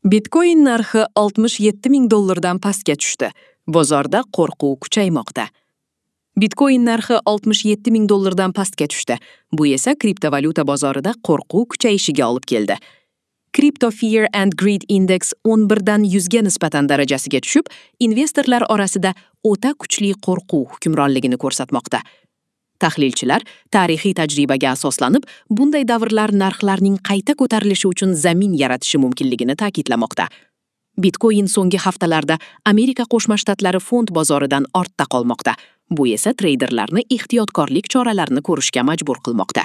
Bitcoin narxi 67 ming dollardan pastga tushdi. Bozorda qo'rquv kuchaymoqda. Bitcoin narxi 67 ming dollardan pastga tushdi. Bu esa kriptovalyuta bozorida qo'rquv kuchayishiga olib keldi. Crypto Fear and Greed Index 11 dan 100 ga nisbatan darajasiga tushib, investorlar orasida o'ta kuchli qo'rquv hukmronligini ko'rsatmoqda. Tahlilchilar tarixiy tajribaga asoslanib, bunday davrlar narxlarning qayta ko'tarilishi uchun zamin yaratishi mumkinligini ta'kidlamoqda. Bitcoin so'nggi haftalarda Amerika Qo'shma Shtatlari fond bozoridan ortda qolmoqda. Bu esa treyderlarni ehtiyotkorlik choralarini ko'rishga majbur qilmoqda.